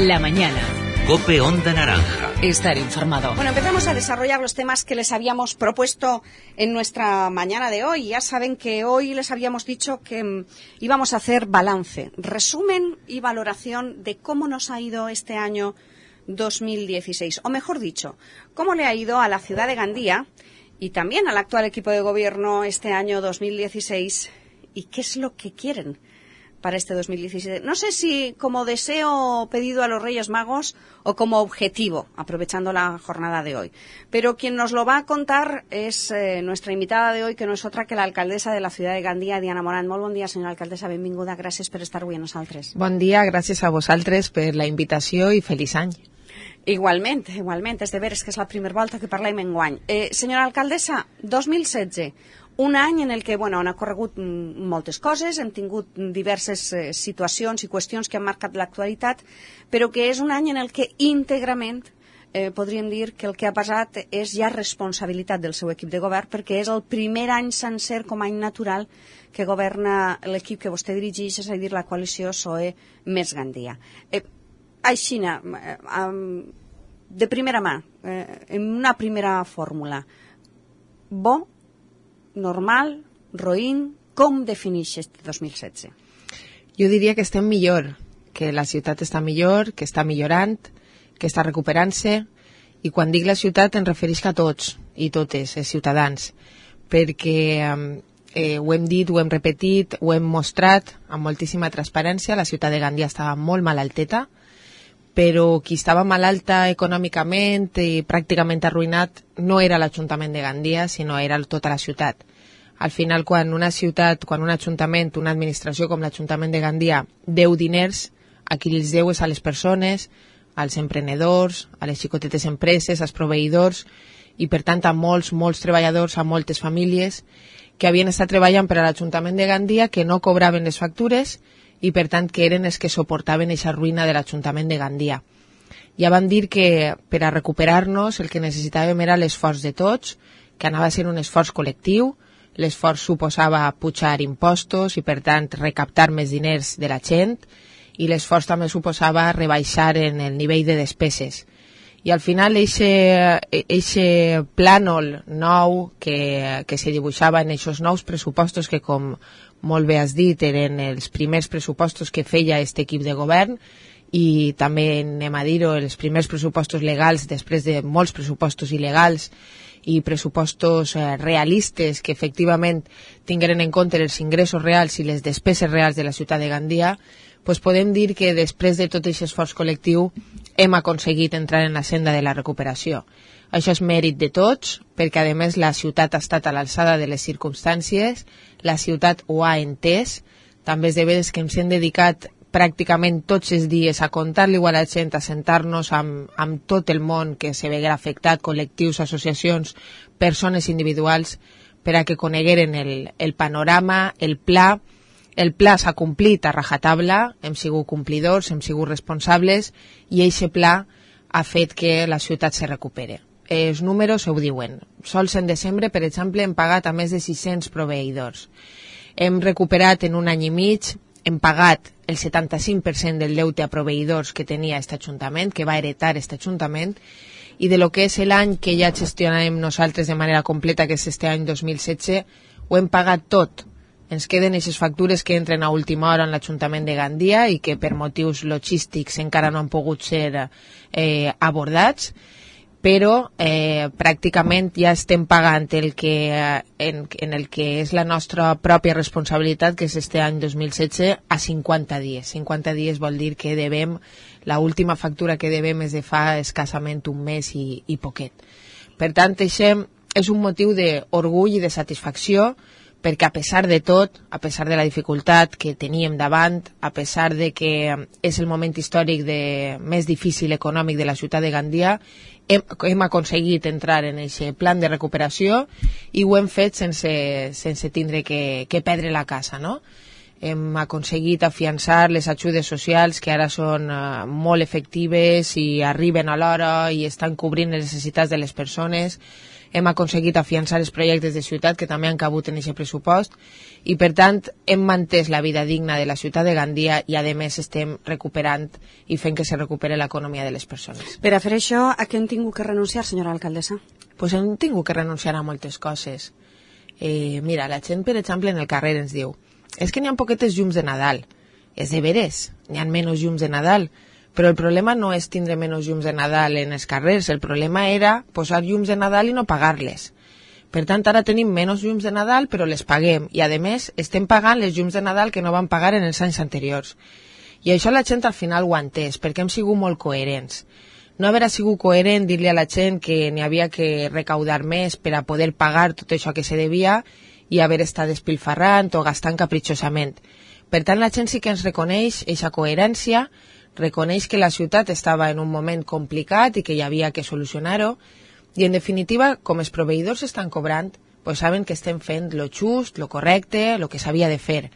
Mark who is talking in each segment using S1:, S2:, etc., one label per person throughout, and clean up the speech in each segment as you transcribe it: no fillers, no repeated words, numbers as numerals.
S1: La mañana.
S2: COPE Onda Naranja.
S1: Estar informado.
S3: Bueno, empezamos a desarrollar los temas que les habíamos propuesto en nuestra mañana de hoy. Ya saben que hoy les habíamos dicho que íbamos a hacer balance, resumen y valoración de cómo nos ha ido este año 2016. O mejor dicho, cómo le ha ido a la ciudad de Gandía y también al actual equipo de gobierno este año 2016 y qué es lo que quieren para este 2017. No sé si como deseo pedido a los Reyes Magos o como objetivo, aprovechando la jornada de hoy. Pero quien nos lo va a contar es nuestra invitada de hoy, que no es otra que la alcaldesa de la ciudad de Gandía, Diana Morant. Molt bon dia, senyora alcaldessa, benvinguda. Gràcies per estar avui amb nosaltres.
S4: Bon dia, gràcies a vosaltres per la invitació i feliç any.
S3: Igualment, és de veres que és la primera volta que parlem enguany. Senyora alcaldessa, 2016, un any en el que han ocorregut moltes coses, hem tingut diverses situacions i qüestions que han marcat l'actualitat, però que és un any en el que íntegrament podríem dir que el que ha passat és ja responsabilitat del seu equip de govern, perquè és el primer any sencer com a any natural que governa l'equip que vostè dirigeix, és a dir, la coalició PSOE més Gandia. Aixina, de primera mà, en una primera fórmula, bo, normal, roïn, com defineix este 2016?
S4: Jo diria que estem millor, que la ciutat està millor, que està millorant, que està recuperant-se, i quan dic la ciutat em refereix a tots i totes, els ciutadans, perquè ho hem dit, ho hem repetit, ho hem mostrat amb moltíssima transparència. La ciutat de Gandia estava molt malalteta, però qui estava malalta econòmicament i pràcticament arruïnat no era l'Ajuntament de Gandia, sinó era tota la ciutat. Al final, quan una ciutat, quan un ajuntament, una administració com l'Ajuntament de Gandia deu diners, a qui els deu és a les persones, als emprenedors, a les xicotetes empreses, als proveïdors, i per tant a molts treballadors, a moltes famílies que havien estat treballant per a l'Ajuntament de Gandia, que no cobraven les factures, i per tant que eren els que suportaven aquesta ruïna de l'Ajuntament de Gandia. Ja vam dir que per a recuperar-nos el que necessitàvem era l'esforç de tots, que anava a ser un esforç col·lectiu. L'esforç suposava pujar impostos i per tant recaptar més diners de la gent, i l'esforç també suposava rebaixar en el nivell de despeses. I al final eixe plànol nou que se dibuixava en aquests nous pressupostos que, com molt bé has dit, eren els primers pressupostos que feia aquest equip de govern, i també, anem a dir-ho, els primers pressupostos legals després de molts pressupostos il·legals i pressupostos realistes que efectivament tingueren en compte els ingressos reals i les despeses reals de la ciutat de Gandia, doncs podem dir que després de tot aquest esforç col·lectiu hem aconseguit entrar en la senda de la recuperació. Això és mèrit de tots, perquè a més la ciutat ha estat a l'alçada de les circumstàncies, la ciutat ho ha entès, també és de veres que ens hem dedicat pràcticament tots els dies a contar-li a la gent, a sentar-nos amb tot el món que se veguera afectat, col·lectius, associacions, persones individuals, per a que conegueren el panorama, el pla. El pla s'ha complit a rajatabla, hem sigut complidors, hem sigut responsables, i aquest pla ha fet que la ciutat se recupere. Els números ho diuen. Sols en desembre, per exemple, hem pagat a més de 600 proveïdors. Hem recuperat en un any i mig, hem pagat el 75% del deute a proveïdors que tenia aquest Ajuntament, que va heretar aquest Ajuntament, i de lo que és l'any que ja gestionarem nosaltres de manera completa, que és este any 2016, ho hem pagat tot. Ens queden aquestes factures que entren a última hora en l'Ajuntament de Gandia i que per motius logístics encara no han pogut ser abordats, però pràcticament ja estem pagant en el que és la nostra pròpia responsabilitat, que és este any 2016, a 50 dies. 50 dies vol dir que devem, l'última factura que devem és de fa escassament un mes i poquet. Per tant, això és un motiu d'orgull i de satisfacció, perquè a pesar de tot, a pesar de la dificultat que teníem davant, a pesar de que és el moment històric més difícil econòmic de la ciutat de Gandia, hem aconseguit entrar en aquest plan de recuperació i ho hem fet sense tindre que perdre la casa, no? Hem aconseguit afiançar les ajudes socials que ara són molt efectives i arriben a l'hora i estan cobrint les necessitats de les persones. hem aconseguit afiançar els projectes de ciutat que també han cabut en aquest pressupost i per tant hem mantès la vida digna de la ciutat de Gandia i a més estem recuperant i fent que se recupere l'economia de les persones.
S3: Per a fer això, a què hem tingut que renunciar, senyora alcaldessa?
S4: Pues hem tingut que renunciar a moltes coses. Mira, la gent, per exemple, en el carrer ens diu és que n'hi ha poquetes llums de Nadal. És de veres, n'hi ha menys llums de Nadal, però el problema no és tindre menys llums de Nadal en els carrers, el problema era posar llums de Nadal i no pagar-les. Per tant, ara tenim menys llums de Nadal, però les paguem, i a més estem pagant les llums de Nadal que no van pagar en els anys anteriors. I això la gent al final ho ha entès, perquè hem sigut molt coherents. No haver sigut coherent dir-li a la gent que n'hi havia que recaudar més per a poder pagar tot això que se devia i haver estat despilfarrant o gastant capritxosament. Per tant, la gent sí que ens reconeix aquesta coherència, reconeix que la ciutat estava en un moment complicat i que hi havia que solucionar-ho, i en definitiva, com els proveïdors estan cobrant, pues saben que estem fent lo just, lo correcte, lo que s'havia de fer.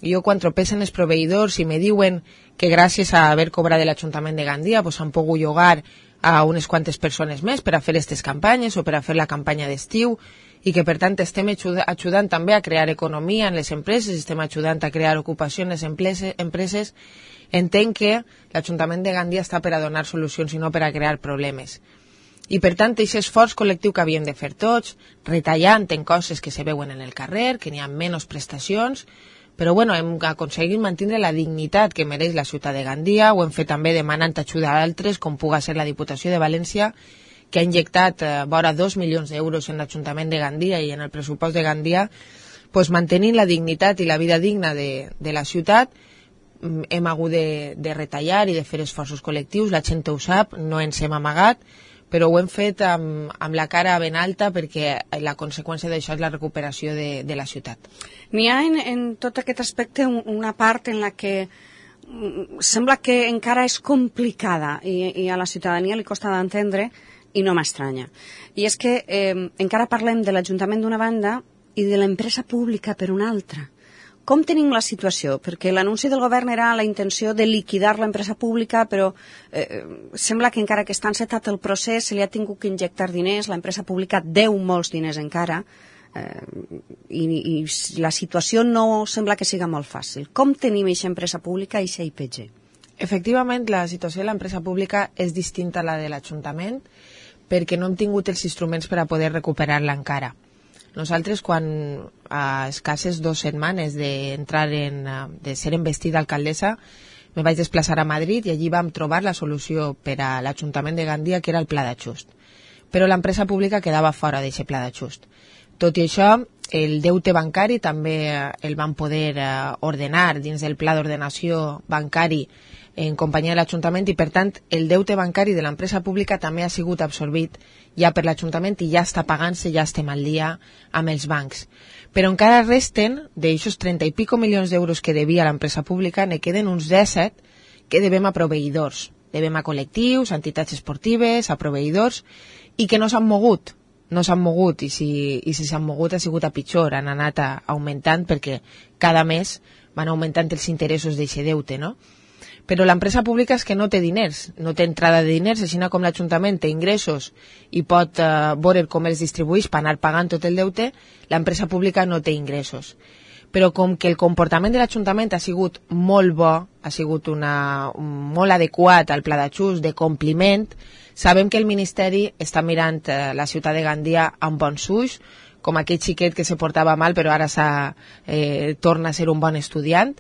S4: Jo quan tropecen els proveïdors i me diuen que gràcies a haver cobrat de l'Ajuntament de Gandia pues han pogut llogar a unes quantes persones més per a fer aquestes campanyes o per a fer la campanya d'estiu i que per tant estem ajudant també a crear economia en les empreses, estem ajudant a crear ocupació en les empreses, entenc que l'Ajuntament de Gandia està per a donar solucions i no per a crear problemes. I per tant, aquest esforç col·lectiu que havíem de fer tots, retallant en coses que se veuen en el carrer, que n'hi ha menys prestacions, però bueno, hem aconseguit mantenir la dignitat que mereix la ciutat de Gandia, ho hem fet també demanant ajuda a altres, com puga ser la Diputació de València, que ha injectat vora 2 milions d'euros en l'Ajuntament de Gandia i en el pressupost de Gandia, pues, mantenint la dignitat i la vida digna de la ciutat. Hem hagut de retallar i de fer esforços col·lectius, la gent ho sap, no ens hem amagat, però ho hem fet amb la cara ben alta perquè la conseqüència d'això és la recuperació de la ciutat.
S3: N'hi ha en tot aquest aspecte una part en la que sembla que encara és complicada i a la ciutadania li costa d'entendre i no m'estranya. I és que encara parlem de l'Ajuntament d'una banda i de l'empresa pública per una altra. Com tenim la situació? Perquè l'anunci del govern era la intenció de liquidar l'empresa pública, però sembla que encara que està encetat el procés se li ha tingut que injectar diners, l'empresa pública deu molts diners encara, i la situació no sembla que siga molt fàcil. Com tenim aquesta empresa pública i aquesta IPG?
S4: Efectivament, la situació de l'empresa pública és distinta a la de l'Ajuntament perquè no hem tingut els instruments per a poder recuperar-la encara. Nosaltres, quan a escasses 2 setmanes de ser investida alcaldessa, me vaig desplaçar a Madrid i allí vam trobar la solució per a l'Ajuntament de Gandia, que era el pla d'ajust. Però l'empresa pública quedava fora d'aquest pla d'ajust. Tot i això, el deute bancari també el van poder ordenar dins del pla d'ordenació bancari en companyia de l'Ajuntament i, per tant, el deute bancari de l'empresa pública també ha sigut absorbit ja per l'Ajuntament i ja està pagant-se, ja estem al dia amb els bancs. Però encara resten, d'aixòs 30 i pico milions d'euros que devia l'empresa pública, ne queden uns 17 que devem a proveïdors. Devem a col·lectius, a entitats esportives, a proveïdors, i que no s'han mogut. No s'han mogut, i si s'han mogut ha sigut a pitjor, han anat augmentant perquè cada mes van augmentant els interessos d'aquest deute, no? Però l'empresa pública és que no té diners, no té entrada de diners, així com l'Ajuntament té ingressos i pot veure com els distribueix per anar pagant tot el deute, l'empresa pública no té ingressos. Però com que el comportament de l'Ajuntament ha sigut molt bo, ha sigut molt adequat al pla d'ajust, de compliment, sabem que el Ministeri està mirant la ciutat de Gandia amb bons ulls, com aquell xiquet que se portava mal però ara torna a ser un bon estudiant,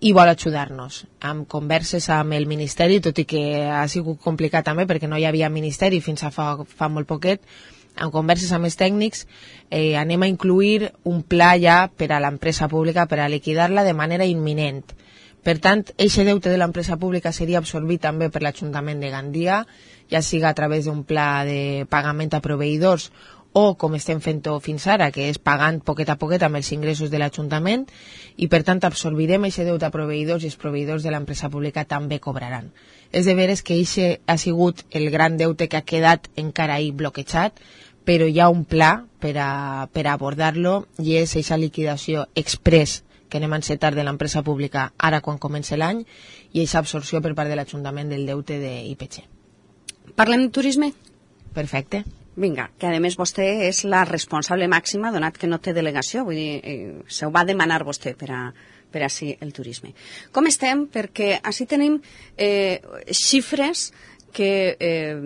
S4: i vol ajudar-nos amb converses amb el Ministeri, tot i que ha sigut complicat també perquè no hi havia Ministeri fins a fa molt poquet. En converses amb els tècnics anem a incluir un pla ja per a l'empresa pública per a liquidar-la de manera imminent. Per tant, aquest deute de l'empresa pública seria absorbit també per l'Ajuntament de Gandia, ja siga a través d'un pla de pagament a proveïdors o com estem fent-ho fins ara, que és pagant poquet a poquet amb els ingressos de l'Ajuntament, i per tant absorbirem aquest deute a proveïdors i els proveïdors de l'empresa pública també cobraran. És de veres que aquest ha sigut el gran deute que ha quedat encara ahí bloquejat, però hi ha un pla per a abordar-lo i és aquesta liquidació express que anem a encetar de l'empresa pública ara quan comença l'any i aquesta absorció per part de l'Ajuntament del deute d'IPG.
S3: Parlem de turisme?
S4: Perfecte.
S3: Vinga, que a més vostè és la responsable màxima, donat que no té delegació, vull dir, se ho va demanar vostè per a sí el turisme. Com estem? Perquè així tenim xifres que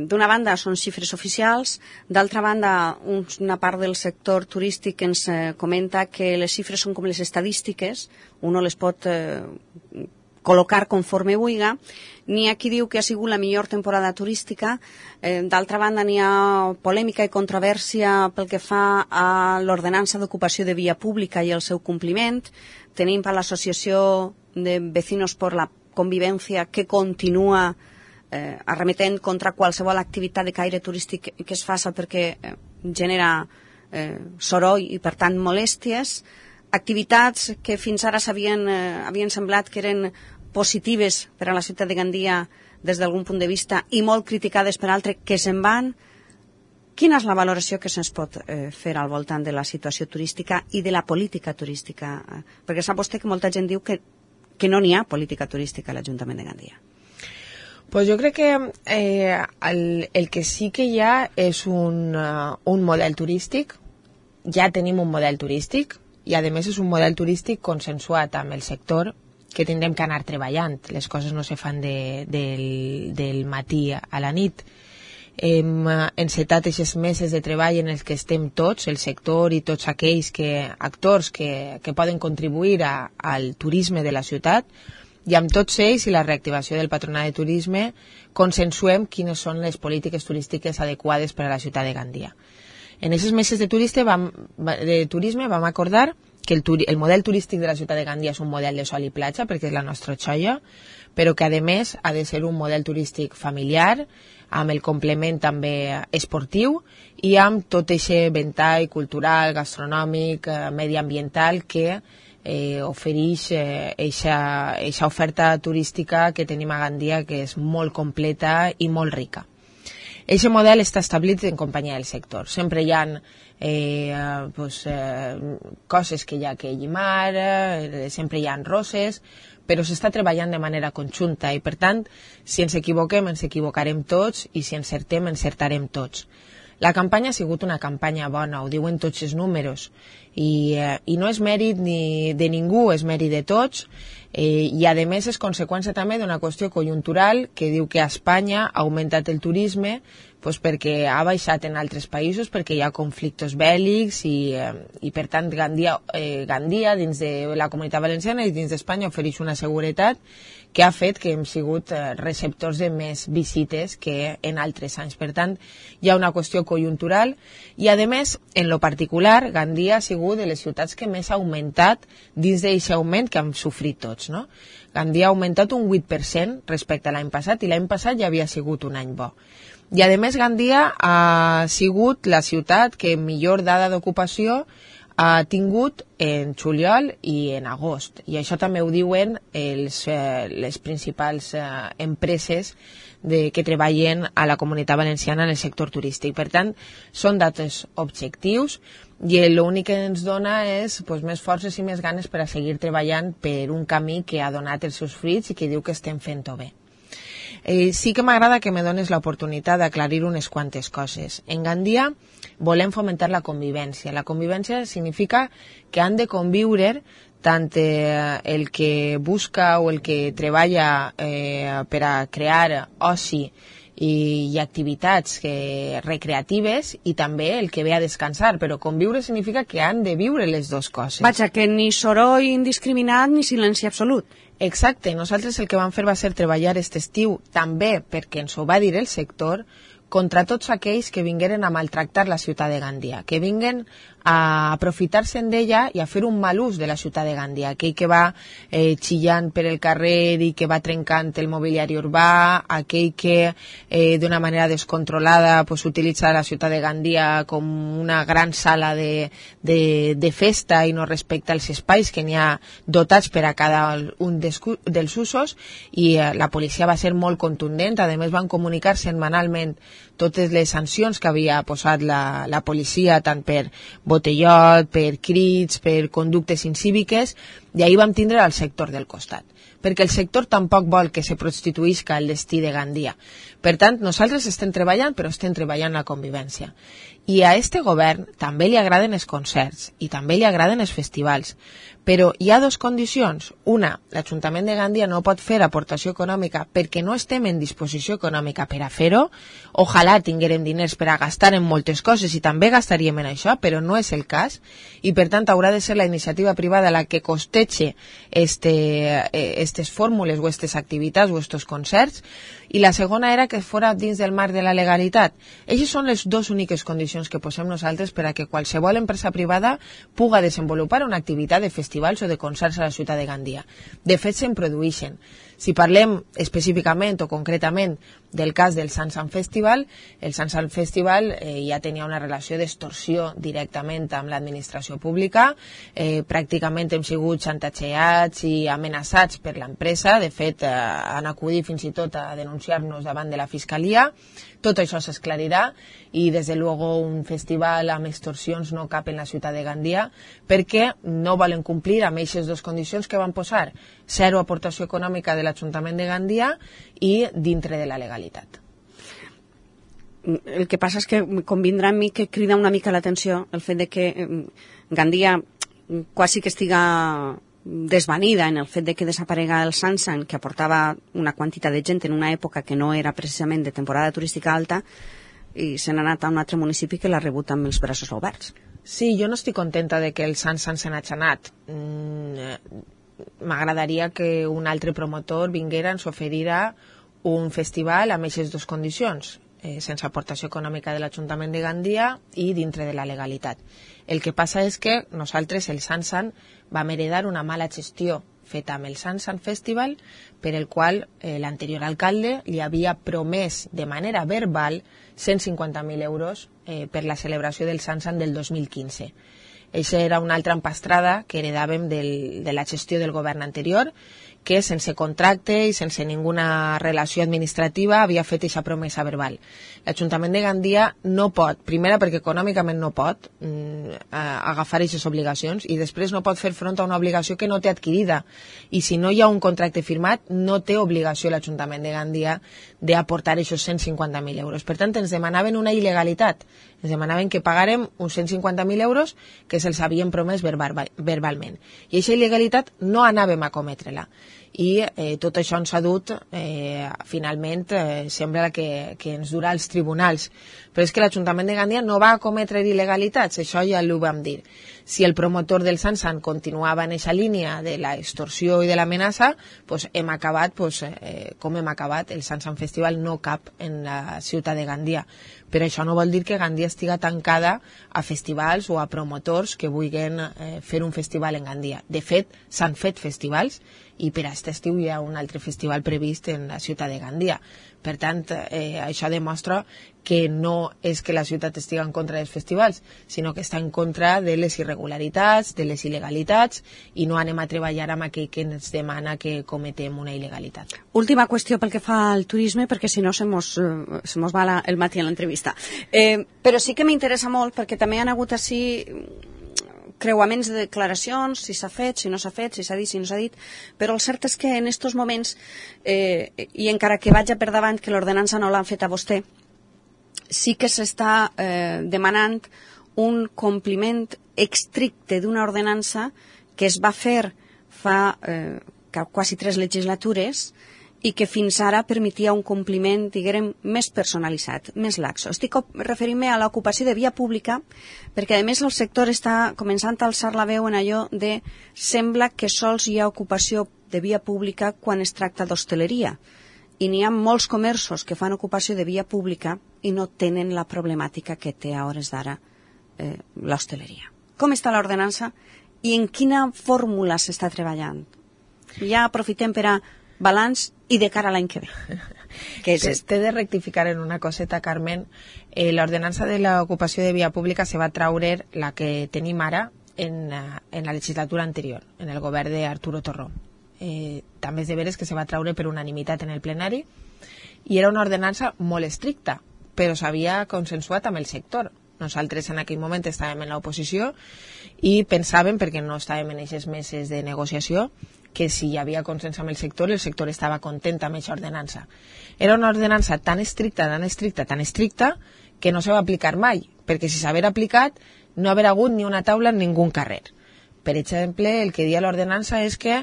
S3: d'una banda són xifres oficials, d'altra banda una part del sector turístic ens comenta que les xifres són com les estadístiques, uno les pot col·locar conforme vulga. N'hi ha qui diu que ha sigut la millor temporada turística, d'altra banda n'hi ha polèmica i controvèrsia pel que fa a l'ordenança d'ocupació de via pública i el seu compliment. Tenim per l'Associació de Vecinos por la Convivencia que continua arremetent contra qualsevol activitat de caire turístic que es faça perquè genera soroll i per tant molèsties, activitats que fins ara havien semblat que eren positives per a la ciutat de Gandia des d'algun punt de vista i molt criticades per altres que se'n van. Quina és la valoració que se'ns pot fer al voltant de la situació turística i de la política turística? Perquè sap vostè que molta gent diu que no n'hi ha política turística a l'Ajuntament de Gandia.
S4: Pues jo crec que el que sí que hi ha és un model turístic. Ja tenim un model turístic i a més és un model turístic consensuat amb el sector que tindrem que anar treballant. Les coses no se fan del matí a la nit. Hem encetat aquests mesos de treball en els que estem tots, el sector i tots aquells actors que poden contribuir al turisme de la ciutat, i amb tots ells i la reactivació del Patronat de Turisme consensuem quines són les polítiques turístiques adequades per a la ciutat de Gandia. En aquests mesos de turisme vam acordar que el model turístic de la ciutat de Gandia és un model de sol i platja, perquè és la nostra xoia, però que a més ha de ser un model turístic familiar, amb el complement també esportiu i amb tot aquest ventall cultural, gastronòmic, mediambiental que ofereix eixa oferta turística que tenim a Gandia, que és molt completa i molt rica. Aquest model està establit en companyia del sector. Sempre hi ha coses que hi ha que llimar, sempre hi ha roses, però s'està treballant de manera conjunta i, per tant, si ens equivoquem, ens equivocarem tots i si encertem, encertarem tots. La campanya ha sigut una campanya bona, ho diuen tots els números, i no és mèrit ni de ningú, és mèrit de tots, i a més és conseqüència també d'una qüestió conjuntural que diu que a Espanya ha augmentat el turisme perquè ha baixat en altres països, perquè hi ha conflictes bèl·lics i per tant Gandia dins de la Comunitat Valenciana i dins d'Espanya ofereix una seguretat que ha fet que hem sigut receptors de més visites que en altres anys. Per tant, hi ha una qüestió conjuntural i, a més, en lo particular, Gandia ha sigut de les ciutats que més ha augmentat dins d'aquest augment que hem sofrit tots, no? Gandia ha augmentat un 8% respecte a l'any passat i l'any passat ja havia sigut un any bo. I, a més, Gandia ha sigut la ciutat que millor dada d'ocupació ha tingut en juliol i en agost. I això també ho diuen les principals empreses que treballen a la Comunitat Valenciana en el sector turístic. Per tant, són datos objectius i l'únic que ens dona és més forces i més ganes per a seguir treballant per un camí que ha donat els seus fruits i que diu que estem fent-ho bé. Sí que m'agrada que me dones l'oportunitat d'aclarir unes quantes coses. En Gandia volem fomentar la convivència. La convivència significa que han de conviure tant el que busca o el que treballa per a crear oci i activitats recreatives i també el que ve a descansar, però conviure significa que han de viure les dues coses.
S3: Vaja, que ni soroll indiscriminat ni silenci absolut.
S4: Exacte, nosaltres el que vam fer va ser treballar aquest estiu també perquè ens ho va dir el sector contra tots aquells que vingueren a maltractar la ciutat de Gandia, que vinguen a aprofitar-se'n d'ella i a fer un mal ús de la ciutat de Gandia, aquell que va xillant per el carrer i que va trencant el mobiliari urbà, aquell que d'una manera descontrolada utilitza la ciutat de Gandia com una gran sala de festa i no respecta els espais que n'hi ha dotats per a cada un dels usos, i la policia va ser molt contundent. A més van comunicar setmanalment totes les sancions que havia posat la policia, tant per botellot, per crits, per conductes incíviques, i ahir vam tindre al sector del costat. perquè el sector tampoc vol que se prostituïsca el destí de Gandia. Per tant, nosaltres estem treballant, però estem treballant la convivència. I a este govern també li agraden els concerts i també li agraden els festivals, però hi ha dues condicions. Una, l'Ajuntament de Gandia no pot fer aportació econòmica perquè no estem en disposició econòmica per a fer-ho. Ojalà tinguérem diners per a gastar en moltes coses i també gastaríem en això, però no és el cas, i per tant haurà de ser la iniciativa privada la que costeche estes fórmules o estes activitats o estos concerts. I la segona era que fora dins del marc de la legalitat. Eixes són les dues úniques condicions que posem nosaltres per a que qualsevol empresa privada puga desenvolupar una activitat de festivals o de concerts a la ciutat de Gandia. De fet, se'n produeixen. Si parlem específicament o concretament del cas del Sansan Festival, el Sansan Festival ja tenia una relació d'extorsió directament amb l'administració pública. Pràcticament hem sigut xantatxeats i amenaçats per l'empresa. De fet, han acudit fins i tot a denunciar-nos davant de la Fiscalia. Tot això s'esclarirà i, des de luego, un festival amb extorsions no cap en la ciutat de Gandia perquè no volen complir amb aquestes dues condicions que van posar: zero aportació econòmica de l'Ajuntament de Gandia i dintre de la legalitat.
S3: El que passa és que convindrà amb mi que crida una mica l'atenció el fet de que Gandia quasi que estiga desvanida en el fet de que desaparega el Sansan, que aportava una quantitat de gent en una època que no era precisament de temporada turística alta, i se n'ha anat a un altre municipi que l'ha rebut amb els braços oberts.
S4: Sí, jo no estic contenta de que el Sansan se n'hagi anat. M'agradaria que un altre promotor vinguera, ens oferirà un festival amb aquestes dues condicions, sense aportació econòmica de l'Ajuntament de Gandia i dintre de la legalitat. El que passa és que nosaltres, el Sansan, vam heredar una mala gestió feta amb el Sansan Festival, per el qual l'anterior alcalde li havia promès de manera verbal 150.000 euros per la celebració del Sansan del 2015. Això era una altra empastrada que heredàvem de la gestió del govern anterior, que sense contracte i sense ninguna relació administrativa havia fet aquesta promesa verbal. L'Ajuntament de Gandia no pot, primera perquè econòmicament no pot agafar aquestes obligacions, i després no pot fer front a una obligació que no té adquirida, i si no hi ha un contracte firmat no té obligació l'Ajuntament de Gandia d'aportar aquests 150.000 euros. Per tant, ens demanaven una il·legalitat, ens demanaven que pagàrem uns 150.000 euros que se'ls havien promès verbalment, i aquesta il·legalitat no anàvem a cometre-la. I tot això ens ha dut, finalment, sembla que ens durà als tribunals. Però és que l'Ajuntament de Gandia no va cometre il·legalitats, això ja ho vam dir. Si el promotor del Sansan continuava en aquesta línia de l'extorsió i de l'amenaça, hem acabat com hem acabat. El Sansan Festival no cap en la ciutat de Gandia. Però això no vol dir que Gandia estiga tancada a festivals o a promotors que vulguin fer un festival en Gandia. De fet, s'han fet festivals, i per a aquest estiu hi ha un altre festival previst en la ciutat de Gandia. Per tant, això demostra que no és que la ciutat estigui en contra dels festivals, sinó que està en contra de les irregularitats, de les il·legalitats, i no anem a treballar amb aquell que ens demana que cometem una il·legalitat.
S3: Última qüestió pel que fa al turisme, perquè si no se mos va el matí en l'entrevista. Però sí que m'interessa molt, perquè també han hagut així creuaments de declaracions, si s'ha fet, si no s'ha fet, si s'ha dit, si no s'ha dit, però el cert és que en aquests moments, i encara que vaig per davant que l'ordenança no l'han fet a vostè, sí que s'està demanant un compliment estricte d'una ordenança que es va fer fa quasi 3 legislatures i que fins ara permetia un compliment, diguem, més personalitzat, més laxo. Estic referint-me a l'ocupació de via pública, perquè a més el sector està començant a alçar la veu en allò de sembla que sols hi ha ocupació de via pública quan es tracta d'hostaleria. I n'hi ha molts comerços que fan ocupació de via pública i no tenen la problemàtica que té a hores d'ara l'hostaleria. Com està l'ordenança i en quina fórmula s'està treballant? Ja aprofitem per a balanç i de cara a l'any que ve.
S4: T'he de rectificar en una coseta, Carmen. L'ordenança de l'ocupació de via pública se va traure la que tenim ara en la legislatura anterior, en el govern d'Arturo Torró. També és de veres que se va traure per unanimitat en el plenari i era una ordenança molt estricta, però s'havia consensuat amb el sector. Nosaltres en aquell moment estàvem en l'oposició i pensàvem, perquè no estàvem en aquestes meses de negociació, que si hi havia consens amb el sector estava content amb aquesta ordenança. Era una ordenança tan estricta, que no se va aplicar mai, perquè si s'haver aplicat no haver hagut ni una taula en ningú carrer. Per exemple, el que dia l'ordenança és que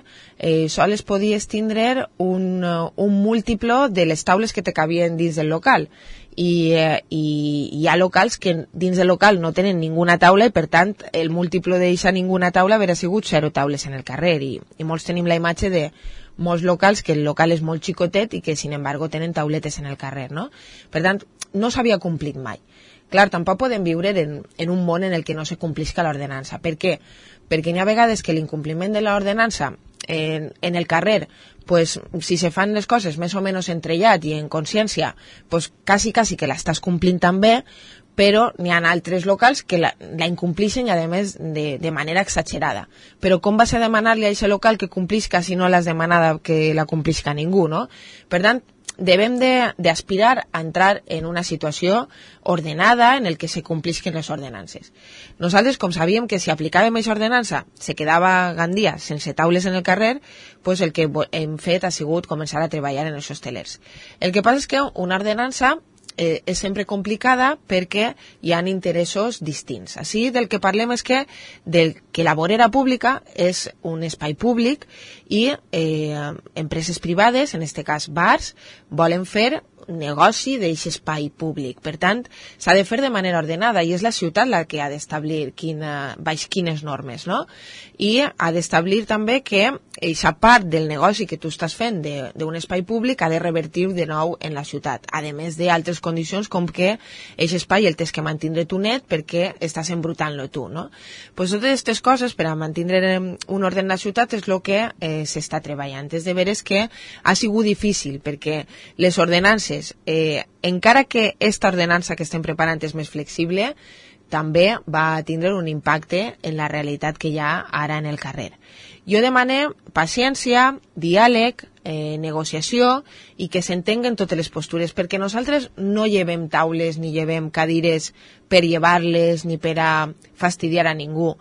S4: sols podies tindre un múltiplo de les taules que te cabien dins del local. I hi ha locals que dins del local no tenen ninguna taula i per tant el múltiplo d'eixa ninguna taula hauria sigut 0 taules en el carrer i molts tenim la imatge de molts locals que el local és molt xicotet i que sin embargo tenen tauletes en el carrer, no? Per tant, no s'havia complit mai. Clar, tampoc podem viure en un món en el que no se complisca l'ordenança. Per què? Perquè hi ha vegades que l'incompliment de l'ordenança en el carrer, pues, si se fan les coses més o menys entrellat i en consciència, pues, quasi que l'estàs complint també, però n'hi ha altres locals que la incomplixen i a més de manera exagerada. Però com vas a demanar-li a aquest local que complisca si no l'has demanada que la complisca ningú, no? Per tant, devem d'aspirar a entrar en una situació ordenada en el que se complisquen les ordenances. Nosaltres, com sabíem que si aplicàvem aquesta ordenança se quedava Gandia sense taules en el carrer, pues el que hem fet ha sigut començar a treballar en els hostelers. El que passa és que una ordenança és sempre complicada perquè hi ha interessos distints. Així del que parlem és que la vorera pública és un espai públic i empreses privades, en aquest cas bars, volen fer negoci d'aquest espai públic. Per tant, s'ha de fer de manera ordenada i és la ciutat la que ha d'establir baix quines normes, no? I ha d'establir també que aquesta part del negoci que tu estàs fent d'un espai públic ha de revertir de nou en la ciutat, a més d'altres condicions com que aquest espai el tens que mantindre tu net perquè estàs embrutant-lo tu, no? Pues totes aquestes coses per a mantindre un ordre en la ciutat és el que s'està treballant. És de veres que ha sigut difícil perquè les ordenances encara que aquesta ordenança que estem preparant és més flexible, també va tindre un impacte en la realitat que hi ha ara en el carrer. Jo demane paciència, diàleg, negociació i que s'entenguen totes les postures, perquè nosaltres no llevem taules ni llevem cadires per llevar-les ni per a fastidiar a ningú.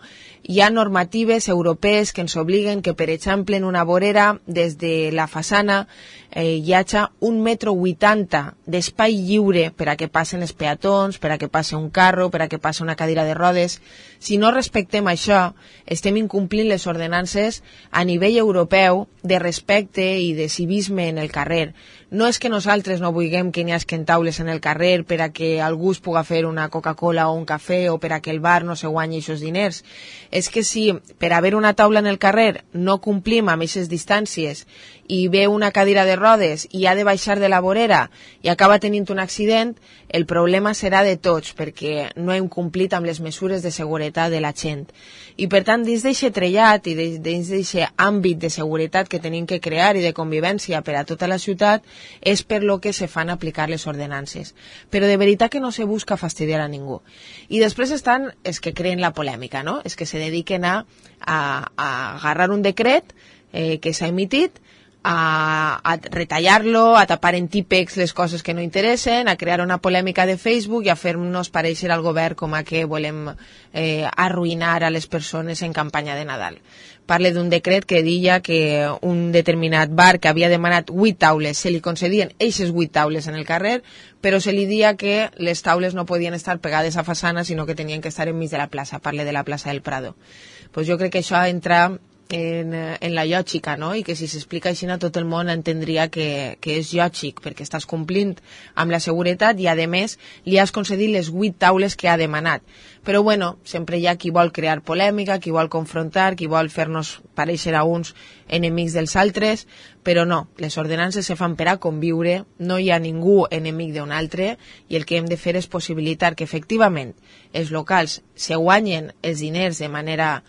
S4: Hi ha normatives europees que ens obliguen que, per exemple, en una vorera, des de la façana, hi hagi 1,80 m d'espai lliure per a que passen els peatons, per a que passi un carro, per a que passi una cadira de rodes. Si no respectem això, estem incomplint les ordenances a nivell europeu de respecte i de civisme en el carrer. No és que nosaltres no vulguem que n'hi hagi taules en el carrer per a que algú es puga fer una Coca-Cola o un cafè o per a que el bar no se guanyi aquests diners. És que si per haver una taula en el carrer no complim amb aquestes distàncies i ve una cadira de rodes i ha de baixar de la vorera i acaba tenint un accident, el problema serà de tots perquè no hem complit amb les mesures de seguretat de la gent. I per tant, dins d'aquest trellat i dins d'aquest àmbit de seguretat que tenim que crear i de convivència per a tota la ciutat, és per lo que se fan aplicar les ordenances. Però de veritat que no se busca fastidiar a ningú. I després estan els que creen la polèmica, no? Els que se dediquen a agarrar un decret que s'ha emitit, a retallar-lo, a tapar en típex les coses que no interessen, a crear una polèmica de Facebook i a fer-nos pareixer al govern com a que volem arruïnar a les persones en campanya de Nadal. Parle d'un decret que deia que un determinat bar que havia demanat 8 taules, se li concedien eixes 8 taules en el carrer, però se li dia que les taules no podien estar pegades a façana, sinó que tenien que estar enmig de la plaça. Parle de la plaça del Prado. Pues jo crec que això entra en la lògica, no? I que si s'explica així a tot el món entendria que és lògic, perquè estàs complint amb la seguretat i a més li has concedit les 8 taules que ha demanat. Però bueno, sempre hi ha qui vol crear polèmica, qui vol confrontar, qui vol fer-nos pareixer a uns enemics dels altres, però no, les ordenances se fan per a conviure, no hi ha ningú enemic d'un altre i el que hem de fer és possibilitar que efectivament els locals se guanyen els diners de manera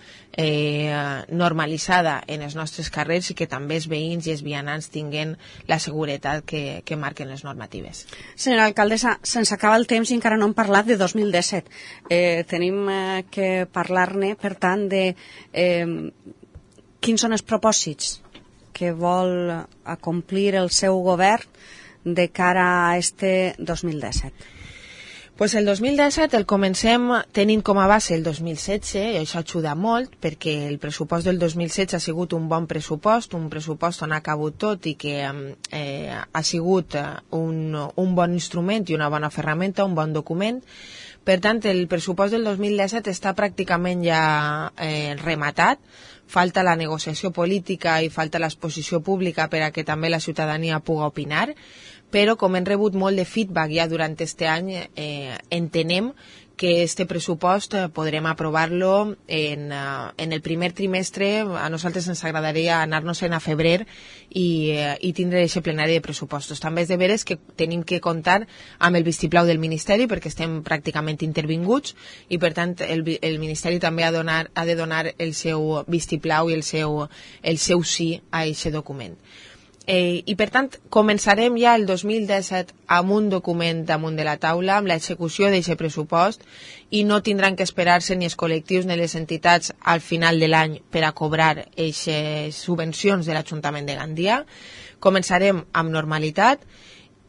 S4: normalitzada en els nostres carrers i que també els veïns i els vianants tinguen la seguretat que marquen les normatives.
S3: Senyora alcaldessa, se'ns acaba el temps i encara no hem parlat de 2017. Tenim que parlar-ne, per tant, de quins són els propòsits que vol acomplir el seu govern de cara a este 2017.
S4: Pues el 2017 el comencem tenint com a base el 2016, i això ajuda molt, perquè el pressupost del 2016 ha sigut un bon pressupost, un pressupost on ha cabut tot i que ha sigut un bon instrument i una bona ferramenta, un bon document. Per tant, el pressupost del 2017 està pràcticament ja rematat, falta la negociació política i falta l'exposició pública per a que també la ciutadania pugui opinar, però com hem rebut molt de feedback ja durant aquest any, entenem que este pressupost podrem aprovar-lo en el primer trimestre. A nosaltres ens agradaria anar-nos-en a febrer i tindre aquest plenari de pressupostos. També és de veres que tenim que comptar amb el vistiplau del Ministeri perquè estem pràcticament intervinguts i per tant el Ministeri també ha de donar el seu vistiplau i el seu sí a aquest document. I per tant començarem ja el 2017 amb un document damunt de la taula, amb l'execució d'aquest pressupost, i no tindran que esperar-se ni els col·lectius ni les entitats al final de l'any per a cobrar aquestes subvencions de l'Ajuntament de Gandia. Començarem amb normalitat.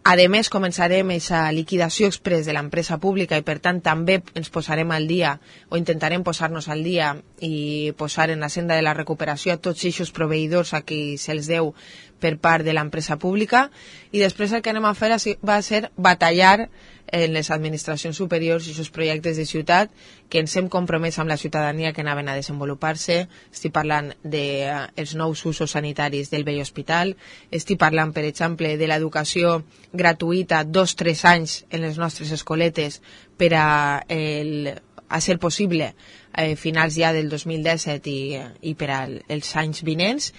S4: A més, començarem aquesta liquidació express de l'empresa pública i, per tant, també ens posarem al dia o intentarem posar-nos al dia i posar en la senda de la recuperació a tots aquests proveïdors a qui se'ls deu per part de l'empresa pública. I després el que anem a fer va ser batallar en les administracions superiors i aquests projectes de ciutat que ens hem compromès amb la ciutadania que anaven a desenvolupar-se. Estic parlant dels nous usos sanitaris del vell hospital, estic parlant, per exemple, de l'educació gratuïta 2-3 anys en les nostres escoletes per a ser possible finals ja del 2017 i per als anys vinents,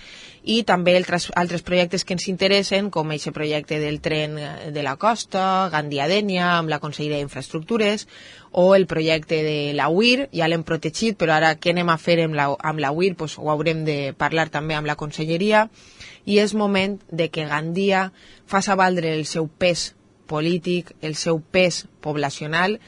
S4: i també altres projectes que ens interessen, com aquest projecte del tren de la costa, Gandia-Dénia, amb la Conselleria d'Infraestructures, o el projecte de la UIR, ja l'hem protegit, però ara què anem a fer amb la UIR? Pues ho haurem de parlar també amb la Conselleria, i és moment de que Gandia faci valdre el seu pes polític, el seu pes poblacional.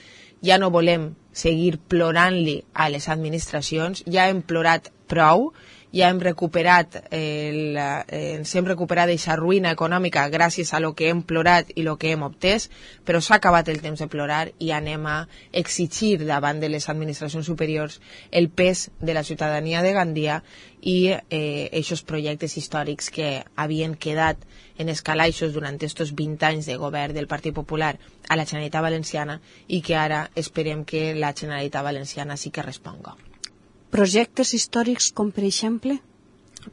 S4: Ja no volem seguir plorant-li a les administracions, ja hem plorat prou, ja hem recuperat ens hem recuperat aquesta ruïna econòmica gràcies a lo que hem plorat i lo que hem obtès, però s'ha acabat el temps de plorar i anem a exigir davant de les administracions superiors el pes de la ciutadania de Gandia i aquests projectes històrics que havien quedat en escalaixos durant aquests 20 anys de govern del Partit Popular a la Generalitat Valenciana i que ara esperem que la Generalitat Valenciana sí que responga.
S3: Projectes històrics com, per exemple?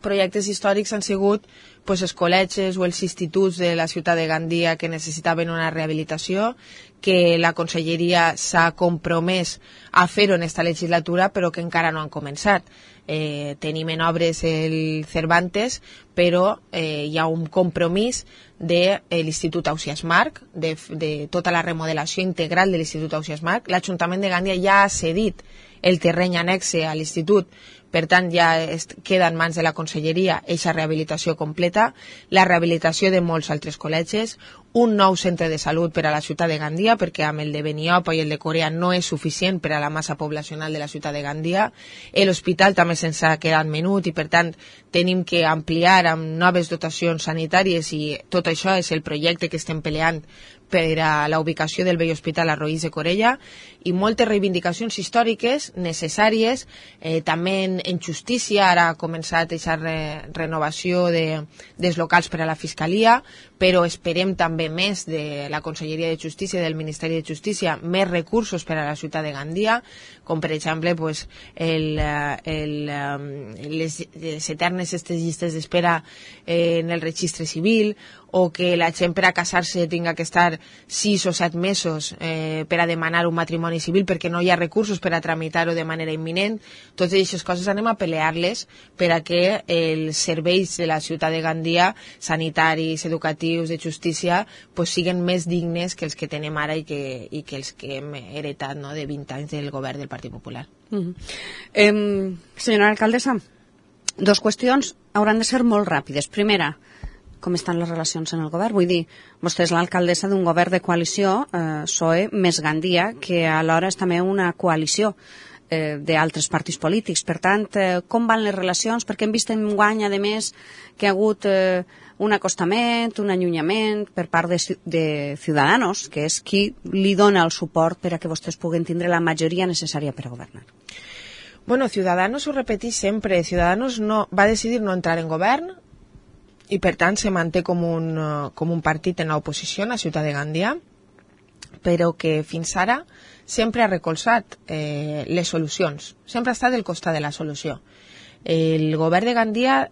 S4: Projectes històrics han sigut els col·legis o els instituts de la ciutat de Gandia que necessitaven una rehabilitació, que la Conselleria s'ha compromès a fer-ho en esta legislatura, però que encara no han començat. Tenim en obres el Cervantes, però hi ha un compromís de l'Institut Ausiàs Marc, de tota la remodelació integral de l'Institut Ausiàs Marc. L'Ajuntament de Gandia ja ha cedit el terreny annexe a l'Institut, per tant ja queda en mans de la Conselleria aquesta rehabilitació completa, la rehabilitació de molts altres col·legis, un nou centre de salut per a la ciutat de Gandia, perquè amb el de Beniopa i el de Corea no és suficient per a la massa poblacional de la ciutat de Gandia. L'hospital també se'ns ha quedat menut i per tant tenim que ampliar amb noves dotacions sanitàries i tot això és el projecte que estem peleant per a la ubicació del vell hospital a Roís de Corella, i moltes reivindicacions històriques necessàries, també en justícia. Ara ha començat aquesta renovació dels locals per a la Fiscalia, però esperem també més de la Conselleria de Justícia i del Ministeri de Justícia, més recursos per a la ciutat de Gandia, com per exemple les eternes llistes d'espera en el registre civil, o que la gent per a casar-se tinga que estar 6 o 7 mesos per a demanar un matrimoni civil perquè no hi ha recursos per a tramitar-ho de manera imminent. Totes aquestes coses anem a pelear-les per a que els serveis de la ciutat de Gandia, sanitaris, educatius, de justícia, siguen més dignes que els que tenem ara i que els que hem heretat, no?, de 20 anys del govern del Partit Popular.
S3: Senyora alcaldessa, 2 qüestions hauran de ser molt ràpides. Primera, com estan les relacions en el govern? Vull dir, vostè és l'alcaldessa d'un govern de coalició, PSOE més Gandia, que alhora és també una coalició d'altres partits polítics. Per tant, com van les relacions? Perquè hem vist enguany, a més, que hi ha hagut un acostament, un allunyament per part de Ciudadanos, que és qui li dona el suport per a que vostès puguen tindre la majoria necessària per a governar.
S4: Bueno, Ciudadanos ho repeteix sempre. Ciudadanos va decidir no entrar en govern i per tant se manté com un partit en l'oposició a la ciutat de Gandia, però que fins ara sempre ha recolzat les solucions, sempre ha estat del costat de la solució. El govern de Gandia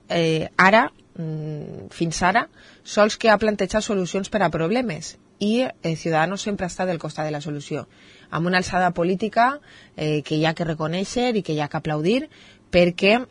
S4: fins ara, sols que ha plantejat solucions per a problemes i Ciudadanos sempre ha estat del costat de la solució, amb una alçada política que hi ha que reconèixer i que hi ha que aplaudir, perquè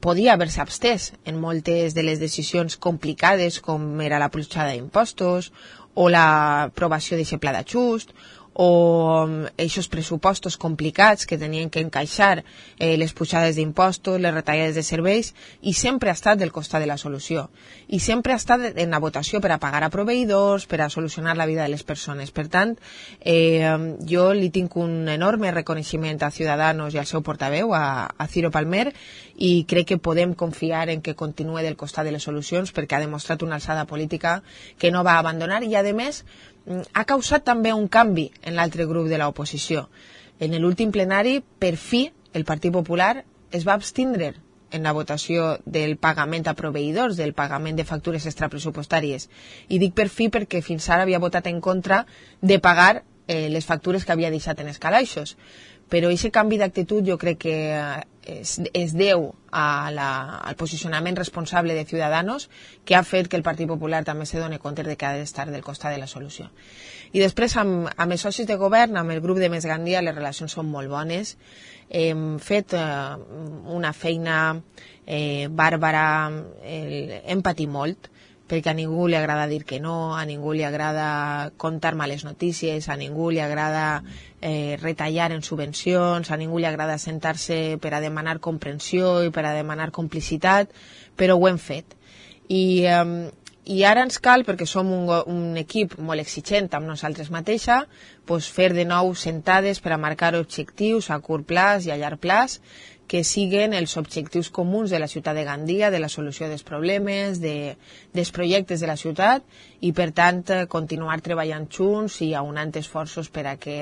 S4: podia haver-se abstès en moltes de les decisions complicades com era la pujada d'impostos o l'aprovació d'aquest pla d'ajust o aquests pressupostos complicats que tenien que encaixar les pujades d'impostos, les retallades de serveis, i sempre ha estat del costat de la solució. I sempre ha estat en la votació per a pagar a proveïdors, per a solucionar la vida de les persones. Per tant, jo li tinc un enorme reconeixement a Ciudadanos i al seu portaveu, a Ciro Palmer, i crec que podem confiar en que continuï del costat de les solucions perquè ha demostrat una alçada política que no va abandonar i, a més, ha causat també un canvi en l'altre grup de l'oposició. En l'últim plenari, per fi, el Partit Popular es va abstindre en la votació del pagament a proveïdors, del pagament de factures extrapressupostàries. I dic per fi perquè fins ara havia votat en contra de pagar les factures que havia deixat en els calaixos. Però aquest canvi d'actitud jo crec que es deu al posicionament responsable de Ciudadanos, que ha fet que el Partit Popular també se doni compte de que ha d'estar del costat de la solució. I després, amb els socis de govern, amb el grup de Més Gandia, les relacions són molt bones. Hem fet una feina bàrbara, hem patit molt, perquè a ningú li agrada dir que no, a ningú li agrada contar males notícies, a ningú li agrada retallar en subvencions, a ningú li agrada sentar-se per a demanar comprensió i per a demanar complicitat, però ho hem fet. I ara ens cal, perquè som un equip molt exigent amb nosaltres mateixa, fer de nou sentades per a marcar objectius a curt plaç i a llarg plaç, que siguen els objectius comuns de la ciutat de Gandia, de la solució dels problemes, dels projectes de la ciutat, i per tant continuar treballant junts i aunant esforços per a que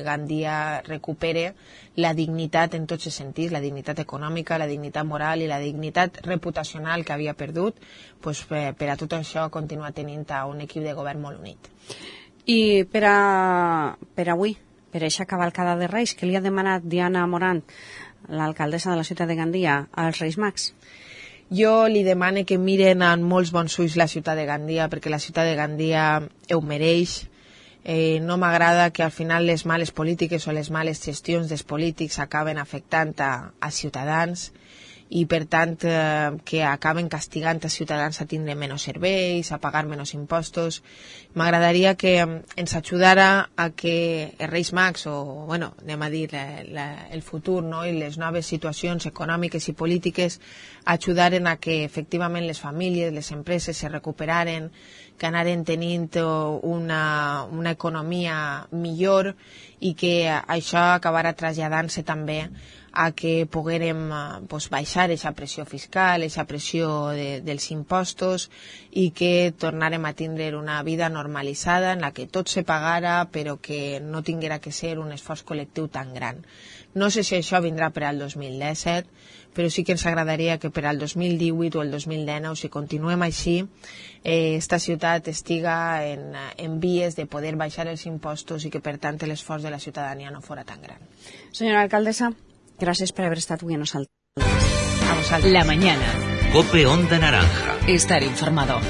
S4: Gandia recupere la dignitat en tots els sentits, la dignitat econòmica, la dignitat moral i la dignitat reputacional que havia perdut, per a tot això continuar tenint un equip de govern molt unit.
S3: I per avui, per aquesta cavalcada de Reis, que li ha demanat Diana Morant, l'alcaldessa de la ciutat de Gandia, als Reis Mags?
S4: Jo li demane que miren amb molts bons ulls la ciutat de Gandia, perquè la ciutat de Gandia ho mereix. No m'agrada que al final les males polítiques o les males gestions dels polítics acaben afectant a ciutadans i per tant que acaben castigant a ciutadans a tindre menys serveis, a pagar menys impostos. M'agradaria que ens ajudara a que els Reis Mags, o anem a dir el futur, i les noves situacions econòmiques i polítiques ajudaren a que efectivament les famílies, les empreses se recuperaren, que anaren tenint una economia millor i que això acabarà traslladant-se també a que poguérem baixar aquesta pressió fiscal, aquesta pressió dels impostos i que tornarem a tindre una vida normalitzada en la que tot se pagara però que no tinguera que ser un esforç col·lectiu tan gran. No sé si això vindrà per al 2017, però sí que ens agradaria que per al 2018 o el 2019, si continuem així, esta ciutat estiga en vies de poder baixar els impostos i que per tant l'esforç de la ciutadania no fora tan gran.
S3: Senyora alcaldessa, gracias por haber estado aquí en nosotros.
S2: La mañana. COPE Onda Naranja.
S1: Estar informado.